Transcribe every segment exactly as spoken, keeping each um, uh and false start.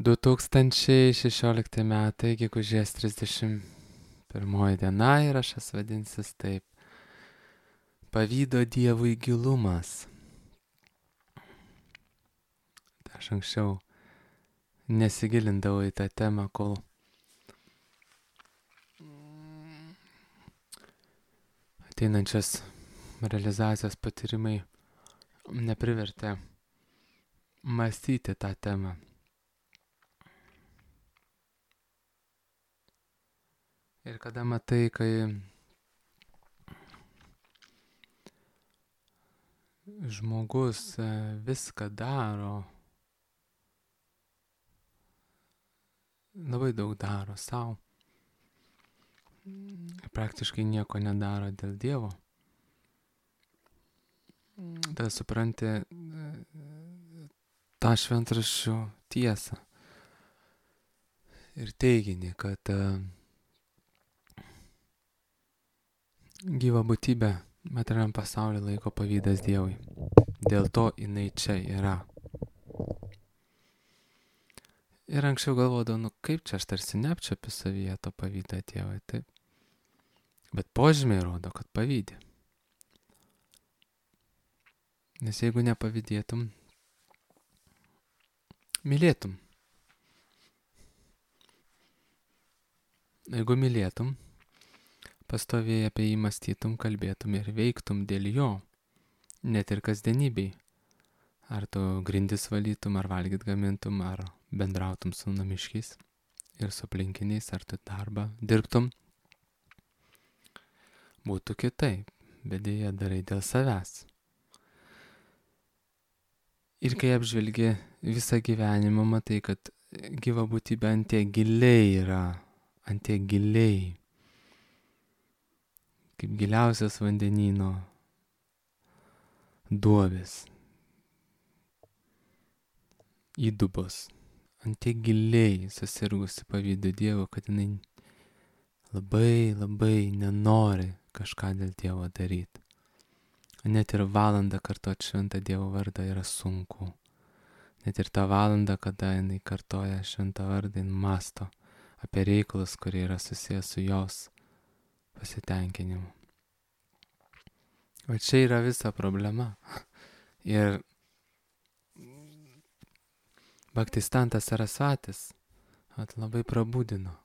du tūkstančiai šešiolikti metai, gegužės trisdešimt pirmoji diena ir aš jas vadinsis taip. Pavydo Dievui gilumas. Aš anksčiau nesigilindavau į tą temą, kol ateinančias realizacijos patyrimai neprivertė mąstyti tą temą. Ir kada matai, kai žmogus viską daro, labai daug daro savo, praktiškai nieko nedaro dėl Dievo, tada supranti tą šventraščių tiesą ir teiginį, kad gyva būtybė materialiam pasaulyje laiko pavydas Dievui. Dėl to jinai čia yra. Ir anksčiau galvodavau, nu kaip čia aš tarsi neapčiuopiu savyje to pavydą Dievui, taip. Bet požymiai rodo, kad pavydi. Nes jeigu nepavydėtum, mylėtum. Jeigu mylėtum, pastoviai apie jį mąstytum, kalbėtum ir veiktum dėl jo, net ir kasdienybei. Ar tu grindis valytum, ar valgyt gamintum, ar bendrautum su namiškiais ir su aplinkiniais, ar tu darbą dirbtum. Būtų kitaip, bet dėja darai dėl savęs. Ir kai apžvelgi visą gyvenimą, matai, kad gyva būtybė ant tiek giliai yra, ant tiek giliai, kaip giliausias vandenyno duobės, įdubos, ant tiek giliai susirgusi pavydu Dievo, kad jinai labai, labai nenori kažką dėl Dievo daryti. Net ir valandą kartuoti šventą Dievo vardą yra sunku. Net ir tą valandą, kada jinai kartoja šventą vardą, jinai mąsto apie reikalus, kurie yra susijęs su jos pasitenkinimu. O čia yra visa problema. Ir Bhaktistantas Sarasvatis at labai prabudino,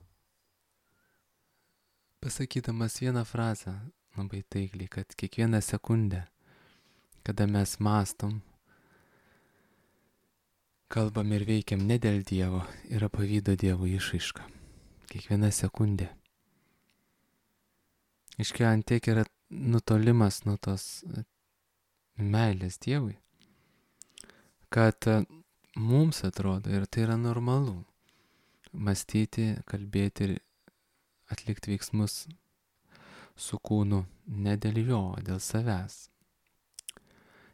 pasakydamas vieną frazę labai taikliai, kad kiekvieną sekundę, kada mes mąstom, kalbam ir veikiam ne dėl Dievo, yra pavydo Dievo išraiška. Kiekviena sekundė. Iškia ant tiek yra nutolimas nuo tos meilės Dievui, kad mums atrodo, ir tai yra normalu, mąstyti, kalbėti ir atlikti veiksmus su kūnu ne dėl jo, dėl savęs.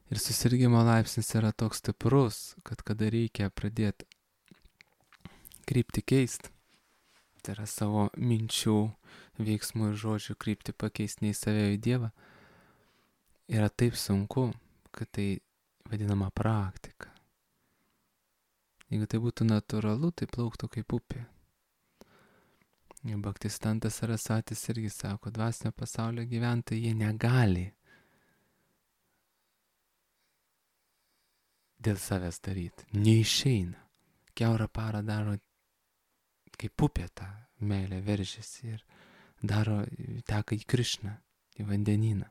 Ir susirgimo laipsnis yra toks stiprus, kad kada reikia pradėti kryptį keisti, tai yra savo minčių, veiksmų ir žodžių kryptį pakeisti ne į save, į Dievą, yra taip sunku, kad tai vadinama praktika. Jeigu tai būtų natūralu, tai plauktų kaip upė. Bhaktistantas Sarasvatis irgi sako, dvasinio pasaulio gyventojai jie negali dėl savęs daryti. Neišeina. Kiaurą parą daro kaip upė tą meilę veržiasi ir daro, teka į Krišną, į vandenyną.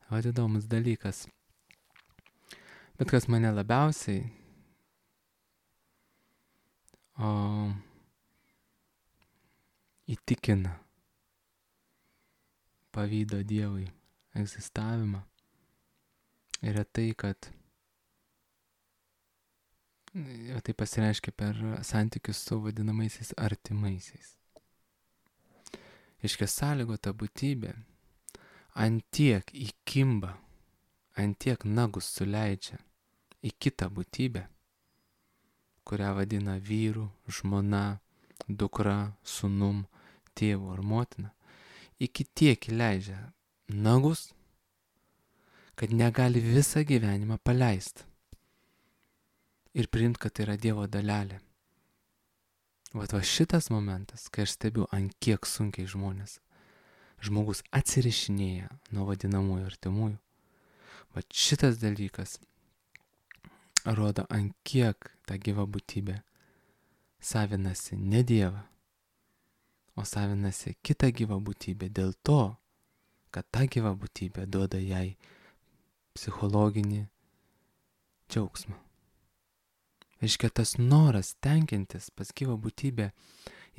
Vat įdomus dalykas. Bet kas mane labiausiai o, įtikina pavydo Dievui egzistavimą, yra tai, kad tai pasireiškia per santykius su vadinamaisiais artimaisiais. Iškia sąlygota būtybė ant tiek įkimba, ant tiek nagus suleidžia į kitą būtybę, kurią vadina vyru, žmona, dukra, sūnum, tėvu ar motina, iki tiek įleidžia nagus, kad negali visą gyvenimą paleisti. ir priimti, kad tai yra Dievo dalelė. Vat va šitas momentas, kai aš stebiu, ant kiek sunkiai žmonės, žmogus atsirišinėja nuo vadinamųjų artimųjų, vat šitas dalykas rodo, ant kiek ta gyva būtybė savinasi ne Dievą, o savinasi kitą gyvą būtybę dėl to, kad ta gyva būtybė duoda jai psichologinį džiaugsmą. Reiškia, tas noras tenkintis pas gyvą būtybę,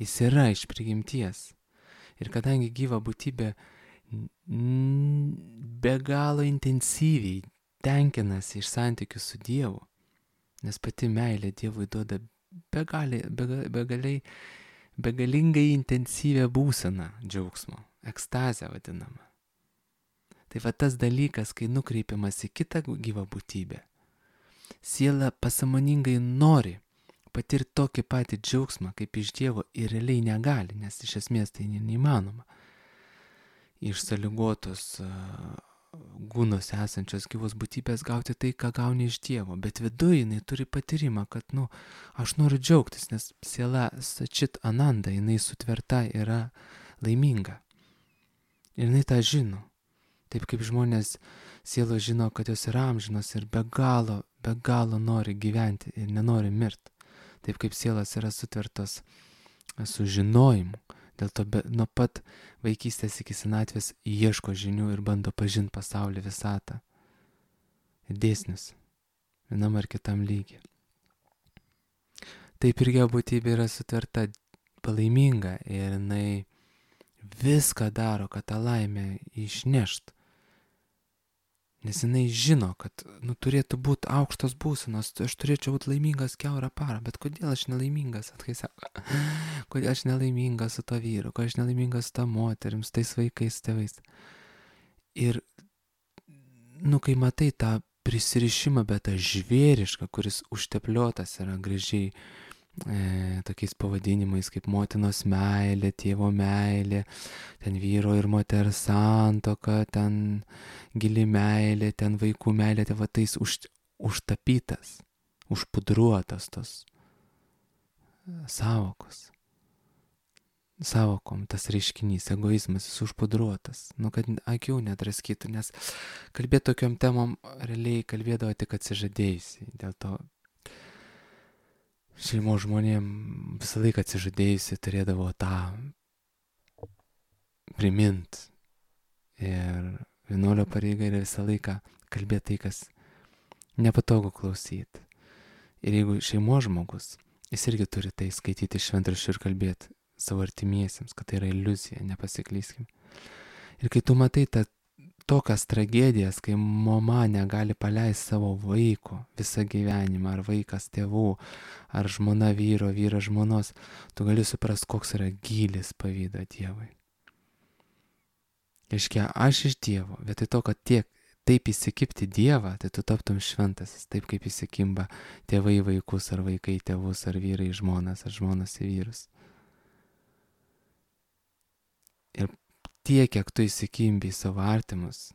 jis yra iš prigimties. Ir kadangi gyva būtybė be galo intensyviai tenkinasi iš santykių su Dievu, nes pati meilė Dievui duoda begaliai, begaliai, begalingai intensyvią būseną džiaugsmo, ekstazę vadinamą. Tai va tas dalykas, kai nukreipiamas į kitą gyvą būtybę, siela pasąmoningai nori patirti tokį patį džiaugsmą kaip iš Dievo ir realiai negali, nes iš esmės tai neįmanoma. Iš sąlygotos gūnos esančios gyvos būtybės gauti tai, ką gauni iš Dievo, bet viduje jinai turi patyrimą, kad, nu, aš noriu džiaugtis, nes siela sačit ananda, jinai sutverta yra laiminga. Ir jinai tą žino. Taip kaip žmonės sielos žino, kad jos yra amžinos ir be galo, be galo nori gyventi ir nenori mirti. Taip kaip sielos yra sutvertos su žinojimu. Dėl to be, nuo pat vaikystės iki senatvės ieško žinių ir bando pažinti pasaulį, visatą. Dėsnius. Vienam ar kitam lygiai. Taip ir gyva būtybė yra sutverta palaiminga ir jinai viską daro, kad tą laimę išnešt. Nes jinai žino, kad, nu, turėtų būti aukštos būsenos, aš turėčiau būti laimingas kiaurą parą, bet kodėl aš nelaimingas, atkai sako, kodėl aš nelaimingas su to vyru, kodėl aš nelaimingas su ta moterim, su tais vaikais, tėvais. Ir, nu, kai matai tą prisirišimą, bet tą žvėrišką, kuris užtepliotas yra gražiai, E, tokiais pavadinimais kaip motinos meilė, tėvo meilė, ten vyro ir moters santuoka, ten gili meilė, ten vaikų meilė, tai va tais už, užtapytas, užpudruotas tos savokos. Savokom tas reiškinys, egoizmas, jis užpudruotas, nu, kad akių nedraskytų, nes kalbėti tokiom temom realiai kalbėdavo tik atsižadėjusiai, dėl to šeimos žmonėm visą laiką atsižadėjusi turėdavo tą primint. Ir vienuolio pareiga yra visą laiką kalbėti tai, kas nepatogu klausyti. Ir jeigu šeimos žmogus, jis irgi turi tai skaityti šventraščių ir kalbėti savo artimiesiems, kad tai yra iliuzija, nepasiklyskim. Ir kai tu matai tą tokias tragedijas, kai mama negali paleisti savo vaiko visą gyvenimą, ar vaikas tėvų, ar žmona vyro, vyras žmonos, tu gali suprasti, koks yra gylis pavydo Dievui. Reiškia, aš iš Dievo, vietoj to, kad tiek taip įsikibti Dievą, tai tu taptum šventasis, taip kaip įsikimba tėvai vaikus, ar vaikai tėvus, ar vyrai žmonas, ar žmonas į vyrus. Ir tiek, kiek tu įsikimbi į savo artimus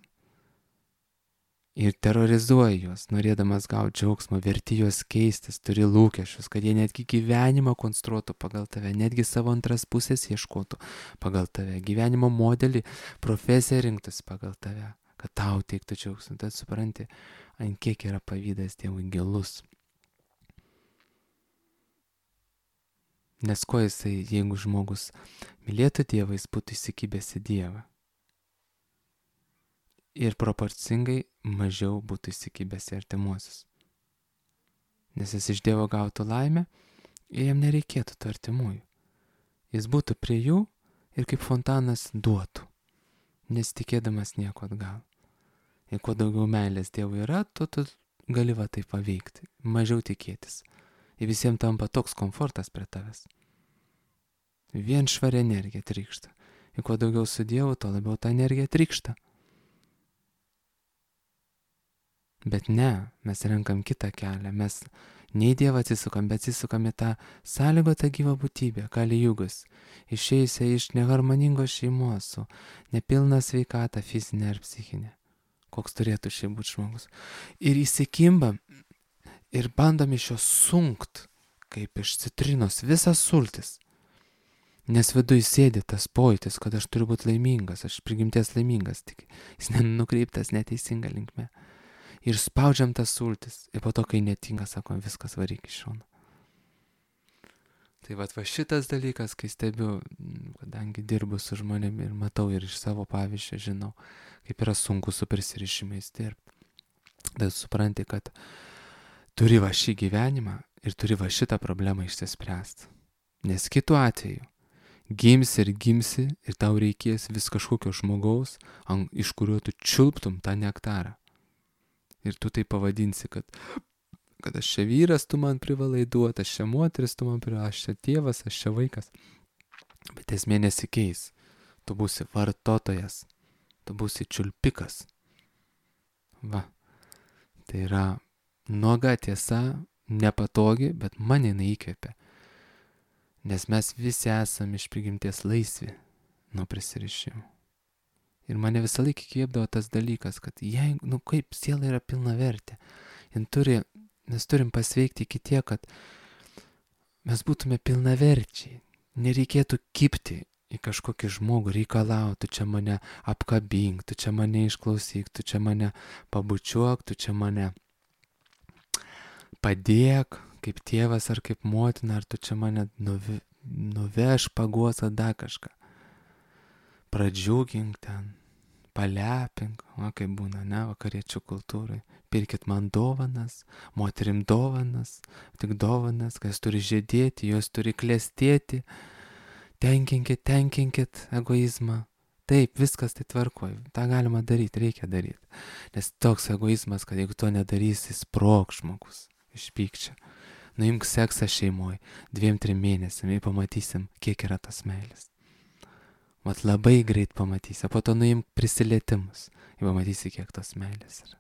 ir terrorizuoji juos, norėdamas gauti džiaugsmą, verti juos keistis, turi lūkesčius, kad jie netgi gyvenimą konstruotų pagal tave, netgi savo antras pusės ieškotų pagal tave, gyvenimo modelį, profesiją rinktųsi pagal tave, kad tau teiktų džiaugsmą. Tad supranti, ant kiek yra pavydas Dievui gilus. Nes ko jisai, jeigu žmogus mylėtų Dievą, jis būtų įsikibęs į Dievą. Ir proporcingai mažiau būtų įsikibęs į artimuosius. Nes jis iš Dievo gautų laimę ir jam nereikėtų tų artimųjų. Jis būtų prie jų ir kaip fontanas duotų, nesitikėdamas nieko atgal. Ir kuo daugiau meilės Dievui yra, tu, tu gali va tai paveikti, mažiau tikėtis. Ir visiems tampa toks komfortas prie tavęs. Vien švari energija trykšta. Ir kuo daugiau su Dievu, to labiau ta energija trykšta. Bet ne, mes renkam kitą kelią. Mes ne į Dievą atsisukam, bet atsisukam į tą sąlygotą gyvą būtybę, Kali Jugas, išėjusią iš neharmoningos šeimos su nepilna sveikata fizinė ar psichinė. Koks turėtų šiaip būti žmogus. Ir įsikimbam ir bandom iš jo sunkt, kaip iš citrinos, visas sultis. Nes viduj sėdi tas pojūtis, kad aš turiu būti laimingas, aš prigimties laimingas, tik jis nenukreiptas neteisinga linkme. Ir spaudžiam tas sultis, ir po to, kai netinka, sakom, viskas varyk iš šono. Tai vat va šitas dalykas, kai stebiu, kadangi dirbu su žmonėmis ir matau ir iš savo pavyzdžio žinau, kaip yra sunku su prisirišimais dirbti. Tai supranti, kad turi va šį gyvenimą ir turi va šitą problemą išsispręsti. Nes kitu atveju gimsi ir gimsi ir tau reikės vis kažkokio žmogaus, ant, iš kurio tu čiulptum tą nektarą. Ir tu tai pavadinsi, kad, kad aš čia vyras, tu man privalai duoti, aš čia moteris, tu man privalai, aš čia tėvas, aš čia vaikas. Bet esmė nesikeis. Tu būsi vartotojas, tu būsi čiulpikas. Va. Tai yra nuoga tiesa, nepatogi, bet mane jinai įkvėpia. Nes mes visi esame iš prigimties laisvi nuo prisirišimų. Ir mane visą laiką įkvėpdavo tas dalykas, kad jei, nu kaip siela yra pilna vertė, turi, mes turim pasveikti iki tiek, kad mes būtume pilnaverčiai. Nereikėtų kibti į kažkokį žmogų, reikalauti, tu čia mane apkabink, tu čia mane išklausyk, tu čia mane pabučiuok, tu čia mane padėk, kaip tėvas ar kaip motina, ar tu čia mane nuve, nuveš, paguos, ar dar kažką. Pradžiugink ten, palepink, o kaip būna, ne, vakariečių kultūrai. Pirkit man dovanas, moterim dovanas, tik dovanas, kas turi žėdėti, jos turi klestėti. Tenkinkit, tenkinkit egoizmą. Taip, viskas tai tvarkoj, tą galima daryti, reikia daryti. Nes toks egoizmas, kad jeigu to nedarysi, sprog žmogus iš pykčio. Nuimk seksą šeimoje, dviem, trim mėnesiam ir pamatysim, kiek yra tas meilės. Vat labai greit pamatysi, po to nuimk prisilietimus ir pamatysi, kiek tos meilės yra.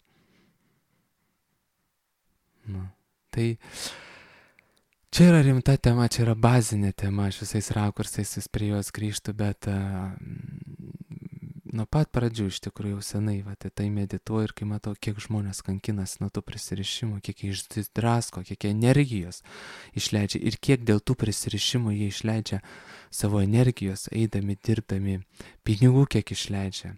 Nu, tai čia yra rimta tema, čia yra bazinė tema, aš visais rakursais vis prie jos grįžtu, bet uh, nuo pat pradžių iš tikrųjų jau senai, va, tai, tai medituoju ir kai matau, kiek žmonės kankinasi nuo tų prisirišimų, kiek jie išdrasko, kiek jie energijos išleidžia ir kiek dėl tų prisirišimų jie išleidžia savo energijos, eidami, dirbdami, pinigų kiek išleidžia,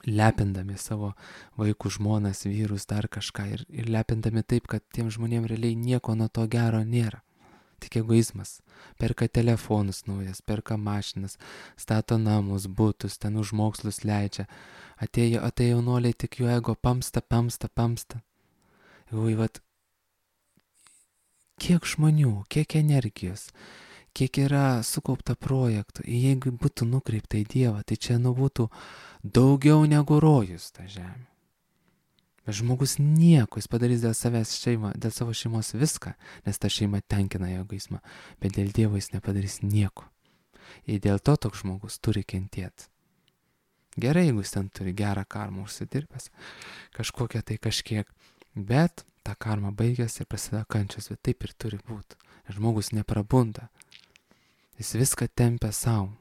lepindami savo vaikų, žmonas, vyrus, dar kažką ir, ir lepindami taip, kad tiem žmonėm realiai nieko nuo to gero nėra. Tik egoizmas. Perka telefonus naujas, perka mašinas, stato namus, butus, ten už mokslus leidžia. Atėjo, atėjo jaunoliai, tik jų ego pamsta, pamsta, pamsta. Jau, vat, kiek žmonių, kiek energijos, kiek yra sukaupta projektų. Jeigu būtų nukreipta į Dievą, tai čia nu būtų daugiau negu rojus ta žemė. Bet žmogus nieko, jis padarys dėl savęs šeimą, dėl savo šeimos viską, nes ta šeima tenkina jo egoizmą, bet dėl Dievo jis nepadarys nieko. Ir dėl to toks žmogus turi kentėti. Gerai, jeigu jis ten turi gerą karmą užsidirbęs, kažkokią tai kažkiek, bet ta karma baigės ir prasideda kančios, bet taip ir turi būti. Žmogus neprabunda, jis viską tempia savo,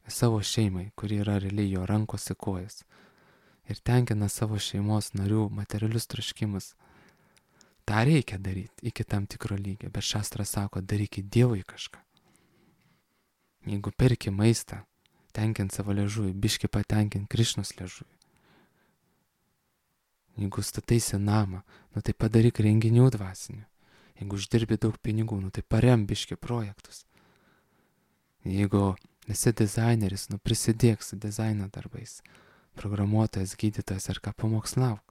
savo šeimai, kuri yra realiai jo rankos į kojas. Ir tenkina savo šeimos narių materialius troškimus. Ta reikia daryti iki tam tikro lygio, bet šastras sako, darykit Dievui kažką. Jeigu perki maistą, tenkint savo liežuvį, biški patenkint Krišnos liežuvį. Jeigu stataisi namą, nu tai padaryk renginių dvasinių. Jeigu uždirbi daug pinigų, nu tai parem biški projektus. Jeigu esi dizaineris, nu prisidėk su dizaino darbais. Programuotojas, gydytojas ar ką pamokslauk.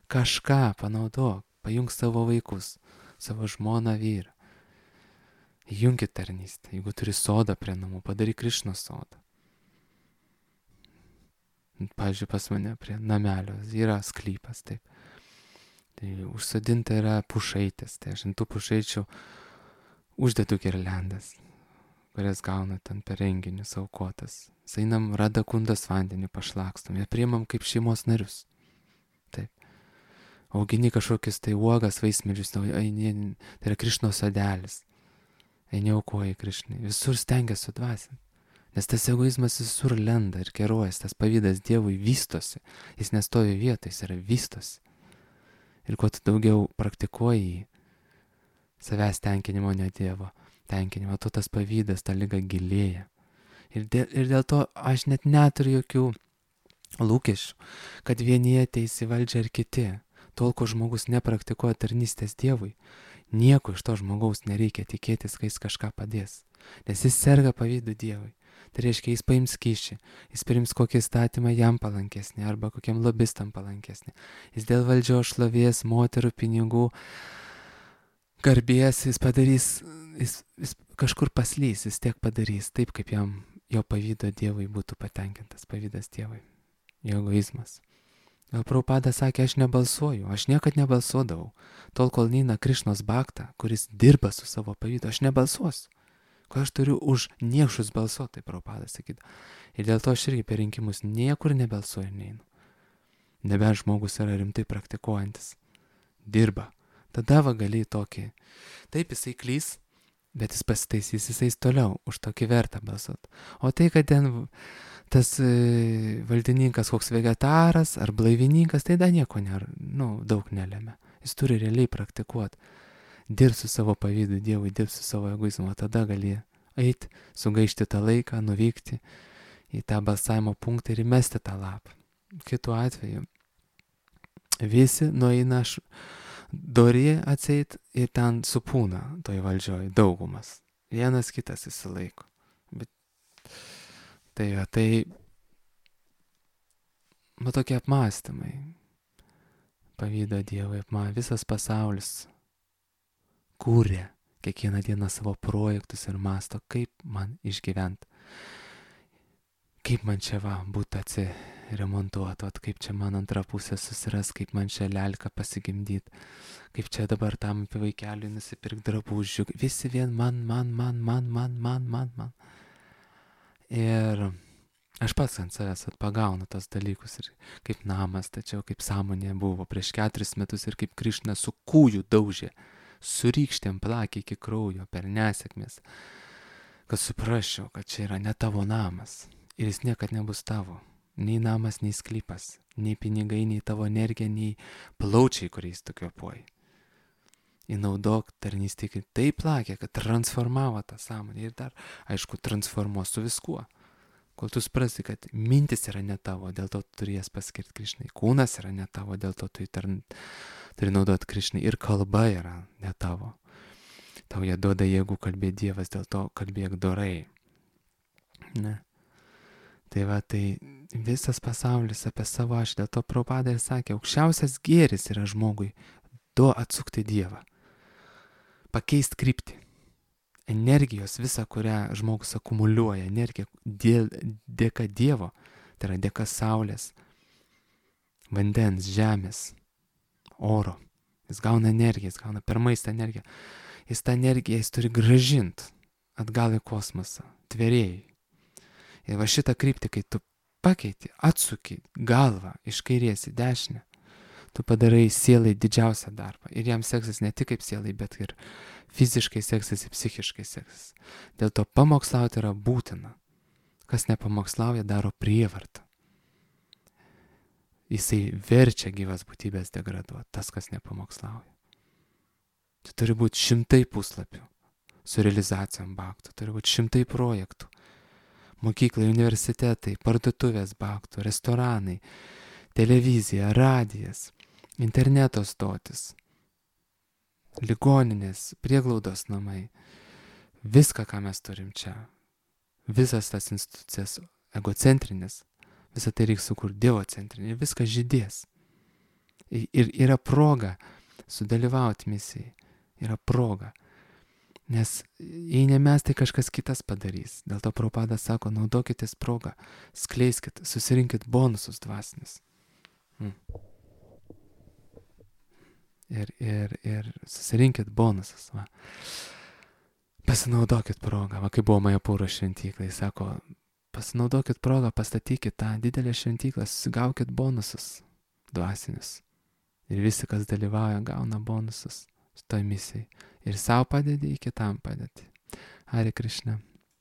Kažką panaudok, pajung savo vaikus, savo žmoną, vyrą. Junkit tarnystę, jeigu turi sodą prie namų, padaryk Krišnos sodą. Pavyzdžiui, pas mane prie namelio yra sklypas, taip. Tai užsodinta yra pušaitės, tai aš ant tų pušaičių uždedu girliandas, kurias gauna ten per renginius aukotas. Einam Radakundos vandenį pašlakstom, jie priimam kaip šeimos narius. Taip. Augini kažkokius tai uogas, vaismedžius, tai yra Krišnos sodelis. Eini aukoji Krišnai, visur stengiasi sudvasinti. Nes tas egoizmas visur lenda ir keruojas, tas pavydas Dievui vystosi. Jis nestovi vietoj, jis yra vystosi. Ir kuo tu daugiau praktikuoji jį, savęs tenkinimo, ne Dievo tenkinimo, tuo tas pavydas, ta lyga gilėja. Ir dėl, ir dėl to aš net neturiu jokių lūkesčių, kad vieni ateis į valdžią ir kiti. Tol, kol žmogus nepraktikuoja tarnystės Dievui, nieko iš to žmogaus nereikia tikėtis, kai jis kažką padės. Nes jis serga pavydu Dievui. Tai reiškia, jis paims kyšį, jis priims kokį įstatymą jam palankesnį arba kokiam lobistam palankesnį. Jis dėl valdžios, šlovės, moterų, pinigų, garbės, jis padarys, jis, jis kažkur paslys, jis tiek padarys taip, kaip jam jo pavydo Dievui būtų patenkintas, pavydas Dievui, jo egoizmas. Gal Prabhupada sakė, aš nebalsuoju, aš niekad nebalsuodavau, tol kol neina Krišnos Bhakta, kuris dirba su savo pavydu, aš nebalsuosiu. Ko aš turiu už niekšus balsuoti, tai Prabhupada sakydavo. Ir dėl to aš irgi per rinkimus niekur nebalsuoju ir neinu. Nebent žmogus yra rimtai praktikuojantis, dirba. Tada va gali tokį, taip jisai klys, bet jis pasitaisys, jisai toliau už tokį vertą balsuoti. O tai, kad ten tas e, valdininkas koks vegetaras ar blaivininkas, tai dar nieko nėra, nu, daug nelėmė. Jis turi realiai praktikuoti. Dirb su savo pavydu Dievui, dirb su savo egoizmu, tada gali eiti, sugaišti tą laiką, nuvykti į tą balsavimo punktą ir įmesti tą lapą. Kitu atveju visi nueina dori atseit ir ten supūna toj valdžioj daugumas. Vienas kitas įsilaiko. Bet tai, tai, bet tokie apmąstymai. Pavydo Dievui apmą, visas pasaulis kūrė kiekvieną dieną savo projektus ir masto, kaip man išgyventi, kaip man čia va būtų atsiremontuoti, kaip čia man antrą pusę susiras, kaip man čia lelką pasigimdyti, kaip čia dabar tam vaikeliui nusipirkti drabužių, visi vien man, man, man, man, man, man, man, man. Ir aš pats ant savęs atpagaunu tos dalykus ir kaip namas, tačiau kaip sąmonė buvo prieš keturis metus ir kaip Krišna su kūju daužė, su rykštėm plakė iki kraujo per nesėkmės, kad suprasčiau, kad čia yra ne tavo namas ir jis niekad nebus tavo. Nei namas, nei sklypas, nei pinigai, nei tavo energija, nei plaučiai, kuriais tu kvėpuoji. Įnaudok tarnystę, kai taip plakė, kad transformavo tą sąmonę ir dar, aišku, transformuos su viskuo. Kol tu suprasi, kad mintis yra ne tavo, dėl to turi jas paskirti Krišnai. Kūnas yra ne tavo, dėl to turi, tarn... turi naudoti Krišnai. Ir kalba yra ne tavo. Tau jie duoda jėgų kalbėti Dievas, dėl to kalbėk dorai. Ne. Tai va, tai visas pasaulis apie savo aš, dėl to Prabhupada ir sakė, aukščiausias gėris yra žmogui du atsukti Dievą. Pakeisti kryptį. Energijos visą, kurią žmogus akumuliuoja, energija dėl, dėka Dievo, tai yra dėka saulės, vandens, žemės, oro. Jis gauna energiją, jis gauna per maistą energiją. Jis tą energiją jis turi grąžinti atgal į kosmosą, tvėrėjai. Ir va šitą kryptį, kai tu pakeiti, atsuki galvą iš kairės į dešinę, tu padarai sielai didžiausią darbą. Ir jam seksis ne tik kaip sielai, bet ir fiziškai seksis ir psichiškai seksis. Dėl to pamokslauti yra būtina. Kas nepamokslauja, daro prievartą. Jisai verčia gyvas būtybės degraduoti, tas, kas nepamokslauja. Tai turi būti šimtai puslapių su realizacijom bhaktų, turi būti šimtai projektų. Mokyklai, universitetai, parduotuvės bhaktų, restoranai, televizija, radijas, interneto stotis, ligoninės, prieglaudos namai, viską, ką mes turim čia, visas tas institucijas egocentrinės, visą tai reikia sukurti dievocentrinį ir viskas žydės. Ir yra proga sudalyvauti misijai, yra proga, nes jei ne mes, tai kažkas kitas padarys. Dėl to Prabhupada sako, naudokitės progą, skleiskit, susirinkit bonusus dvasinis. Hmm. Ir, ir, ir susirinkit bonusus. Va. Pasinaudokit progą, va, kai buvo Majapūro šventyklai, sako, pasinaudokit progą, pastatykit tą didelę šventyklą, susigaukit bonusus dvasinius. Ir visi, kas dalyvauja, gauna bonusus toj misijai. Ir savo padedi, ir kitam padedi. Hare Krishna.